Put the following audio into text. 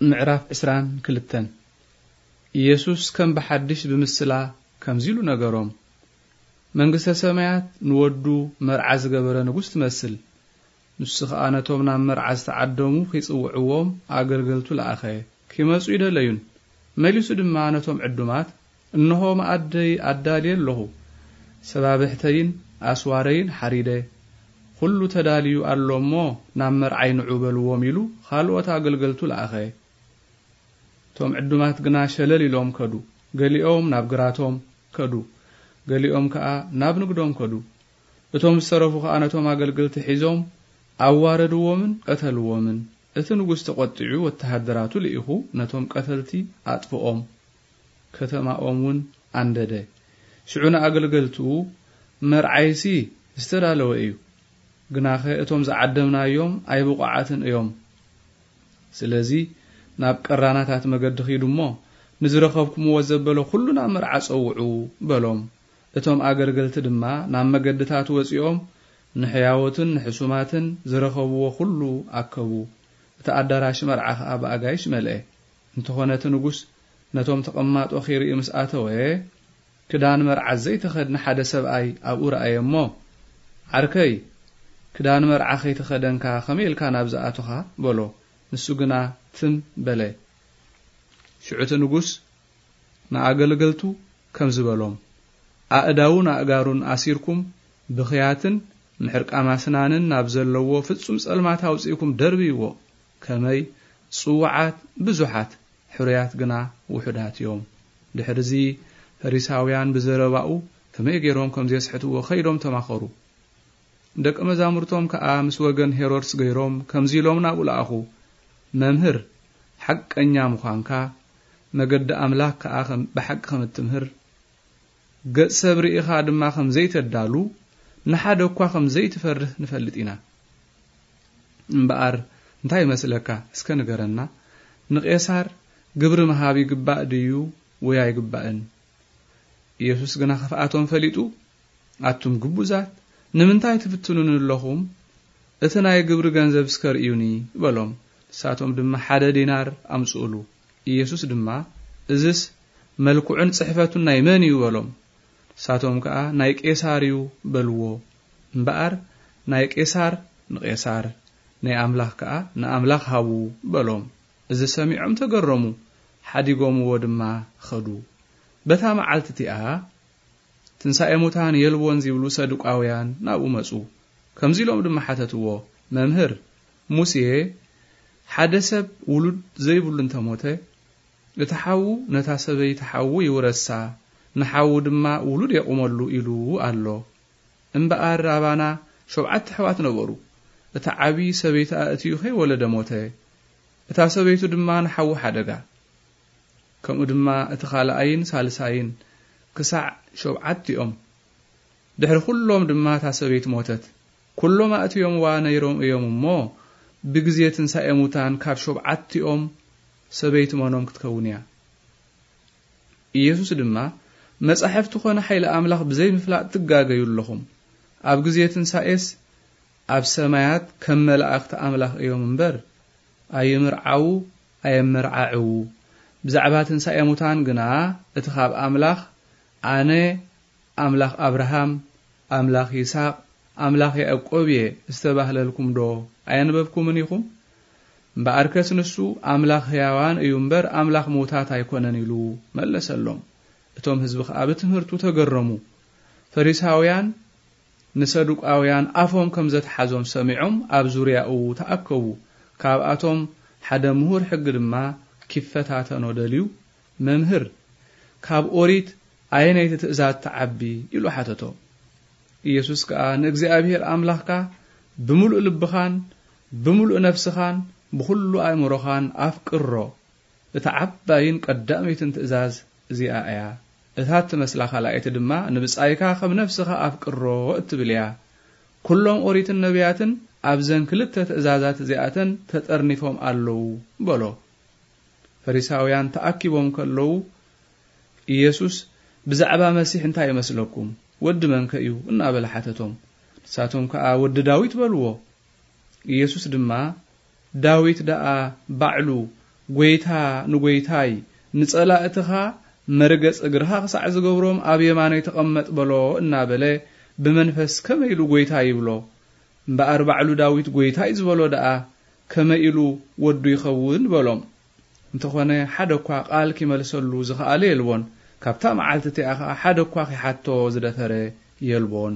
ምዕራፍ ዕስራን ክልተን። ኢየሱስ ከም ብሓድሽ ብምስላ ከምዚ ኢሉ ነገሮም፣ መንግስተ ሰማያት ንወዱ መርዓ ዝገበረ ንጉስ ትመስል። ንሱ ኸኣ ነቶም ናብ መርዓ ዝተዓደሙ ኺጽውዕዎም ኣገልገልቱ ለኣኸ። ኪመጹ ይደለዩን። መሊሱ ድማ ነቶም ዕዱማት፣ "እንሆ መኣደይ ኣዳልየ ኣለኹ። ሰባብሕተይን ኣስዋረይን ሓሪደ። ኹሉ ተዳልዩ ኣሎ እሞ ናብ መርዓይ ንዑ በልዎም" ኢሉ ኻልኦት ኣገልገልቱ ለኣኸ። እቶም ዕዱማት ግና ሸለል ኢሎም ከዱ። ገሊኦም ናብ ግራቶም ከዱ፣ ገሊኦም ከኣ ናብ ንግዶም ከዱ። እቶም ዝተረፉ ከኣ ነቶም ኣገልገልቲ ሒዞም ኣዋረድዎምን ቀተልዎምን። እቲ ንጉስ ተቖጢዑ ወተሃደራቱ ልኢኹ ነቶም ቀተልቲ ኣጥፍኦም። ከተማኦም እውን ኣንደደ። ሽዑ ንኣገልገልቱ፣ "መርዓይሲ ዝተዳለወ እዩ፣ ግናኸ እቶም ዝዓደምናዮም ኣይብቑዓትን እዮም። ስለዚ ናብ ቀራናታት መገዲ ኺዱ እሞ ንዝረኸብኩምዎ ዘበለ ኹሉ ናብ መርዓ ጸውዑ" በሎም። እቶም ኣገልገልቲ ድማ ናብ መገድታት ወጺኦም ንሕያዎትን ንሕሱማትን ዝረኸብዎ ኹሉ ኣከቡ። እቲ ኣዳራሽ መርዓ ኸኣ ብኣጋይሽ መልአ። እንተኾነ እቲ ንጉስ ነቶም ተቐማጦ ኺርኢ ምስ ኣተወ፣ ክዳን መርዓ ዘይተኸድነ ሓደ ሰብኣይ ኣብኡ ረኣየ እሞ፣ "ዓርከይ፣ ክዳን መርዓ ኸይተኸደንካ ኸመይ ኢልካ ናብዚ ኣቶኻ?" በሎ። ንሱ ግና ትም በለ። ሽዑ እቲ ንጉስ ንኣገልገልቱ ከምዚ በሎም፣ "ኣእዳዉን ኣእጋሩን ኣሲርኩም ብኽያትን ምሕርቃም ኣስናንን ናብ ዘለዎ ፍጹም ጸልማት ኣውጺእኩም ደርብይዎ። ከመይ ጽዉዓት ብዙሓት፣ ሕሩያት ግና ውሑዳት እዮም።" ድሕርዚ ፈሪሳውያን ብዘረባኡ ከመይ ገይሮም ከም ዜስሕትዎ ኸይዶም ተማኸሩ። ደቀ መዛሙርቶም ከኣ ምስ ወገን ሄሮድስ ገይሮም ከምዚ ኢሎም ናብኡ ለኣኹ፣ "መምህር፣ ሓቀኛ ምዃንካ፣ መገዲ ኣምላኽ ከኣ ከም፣ ብሓቂ ከም እትምህር፣ ገጽ ሰብ ርኢኻ ድማ ከም ዘይተዳሉ፣ ንሓደ እኳ ከም ዘይትፈርህ ንፈልጥ ኢና። እምበኣር እንታይ ይመስለካ? እስከ ንገረና፣ ንቄሳር ግብሪ ምሃብ ይግባእ ድዩ ወይ ኣይግባእን?" ኢየሱስ ግና ክፍኣቶም ፈሊጡ፣ "ኣቱም ግቡዛት፣ ንምንታይ ትፍትኑኒ ኣለኹም? እቲ ናይ ግብሪ ገንዘብ እስከ ርእዩኒ" በሎም። ንሳቶም ድማ ሓደ ዲናር ኣምጽኡሉ። ኢየሱስ ድማ፣ "እዝስ መልክዑን ጽሕፈቱን ናይ መን እዩ?" በሎም። ንሳቶም ከኣ፣ "ናይ ቄሳር እዩ" በልዎ። እምበኣር፣ "ናይ ቄሳር ንቄሳር፣ ናይ ኣምላኽ ከኣ ንኣምላኽ ሃቡ" በሎም። እዚ ሰሚዖም ተገረሙ፣ ሓዲጎምዎ ድማ ኸዱ። በታ መዓልቲ እቲኣ፣ ትንሳኤ ሙታን የልቦን ዚብሉ ሰዱቃውያን ናብኡ መጹ። ከምዚ ኢሎም ድማ ሓተትዎ፣ "መምህር፣ ሙሴ፣ ሓደ ሰብ ውሉድ ዘይብሉ እንተ ሞተ፣ እቲ ሓዉ ነታ ሰበይቲ ሓዉ ይውረሳ፣ ንሓዉ ድማ ውሉድ የቑመሉ ኢሉ ኣሎ። እምበኣር ኣባና ሸውዓተ ኣሕዋት ነበሩ። እቲ ዓቢ ሰበይቲ ኣእትዩ ከይወለደ ሞተ። እታ ሰበይቱ ድማ ንሓዉ ሓደጋ። ከምኡ ድማ እቲ ካልኣይን ሳልሳይን ክሳዕ ሸውዓቲኦም። ድሕሪ ኩሎም ድማ እታ ሰበይቲ ሞተት። ኩሎም ኣእትዮምዋ ነይሮም እዮም እሞ፣ ብግዜ ትንሳኤ ሙታን ካብ ሸውዓቲኦም ሰበይቲ መኖም ክትከውን እያ?" ኢየሱስ ድማ፣ "መጻሕፍቲ ኾነ ሓይሊ ኣምላኽ ብዘይምፍላጥ ትጋገዩ ኣለኹም። ኣብ ግዜ ትንሳኤስ ኣብ ሰማያት ከም መላእኽቲ ኣምላኽ እዮም እምበር፣ ኣይምርዓዉ፣ ኣየመርዓዕዉ። ብዛዕባ ትንሳኤ ሙታን ግና፣ እቲ ኻብ ኣምላኽ፣ 'ኣነ ኣምላኽ ኣብርሃም፣ ኣምላኽ ይስሐቅ፣ ኣምላኽ ያዕቆብ እየ' ዝተባህለልኩም ዶ ኣየንበብኩምን ኢኹም? እምበኣርከስ ንሱ ኣምላኽ ህያዋን እዩ እምበር፣ ኣምላኽ ምዉታት ኣይኮነን" ኢሉ መለሰሎም። እቶም ህዝቢ ኸኣ ብትምህርቱ ተገረሙ። ፈሪሳውያን ንሰዱቃውያን ኣፎም ከም ዘትሓዞም ሰሚዖም ኣብ ዙርያኡ ተኣከቡ። ካብኣቶም ሓደ ምሁር ሕጊ ድማ ኪፈታተኖ ደልዩ፣ "መምህር፣ ካብ ኦሪት ኣየነይቲ ትእዛዝ ትዓቢ?" ኢሉ ሓተቶ። ኢየሱስ ከኣ፣ "ንእግዚኣብሔር ኣምላኽካ ብምሉእ ልብኻን ብምሉእ ነፍስኻን ብኹሉ ኣእምሮኻን ኣፍቅሮ። እታ ዓባይን ቀዳመይትን ትእዛዝ እዚኣ እያ። እታ እትመስላ ካልኣይቲ ድማ፣ 'ንብጻይካ ከም ነፍስኻ ኣፍቅሮ' እትብል እያ። ኩሎም ኦሪትን ነቢያትን ኣብዘን ክልተ ትእዛዛት እዚኣተን ተጠርኒፎም ኣለዉ" በሎ። ፈሪሳውያን ተኣኪቦም ከለዉ፣ ኢየሱስ፣ "ብዛዕባ መሲሕ እንታይ ይመስለኩም? ወዲ መንከ እዩ?" እናበለ ሓተቶም። ንሳቶም ከኣ፣ "ወዲ ዳዊት" በልዎ። ኢየሱስ ድማ፣ "ዳዊት ደኣ ባዕሉ ጐይታ ንጐይታይ፣ ንጸላእትኻ መርገጽ እግርኻ ክሳዕ ዝገብሮም ኣብ የማነይ ተቐመጥ በሎ እናበለ ብመንፈስ ከመይ ኢሉ ጐይታይ ይብሎ? እምበኣር ባዕሉ ዳዊት ጐይታይ ዝበሎ ደኣ ከመይ ኢሉ ወዱ ይኸውን በሎም። እንተኾነ ሓደ እኳ ቃል ኪመልሰሉ ዝኸኣለ የልቦን። ካብታ መዓልቲ እቲኣ ኸኣ ሓደ እኳ ኺሓቶ ዝደፈረ የልቦን።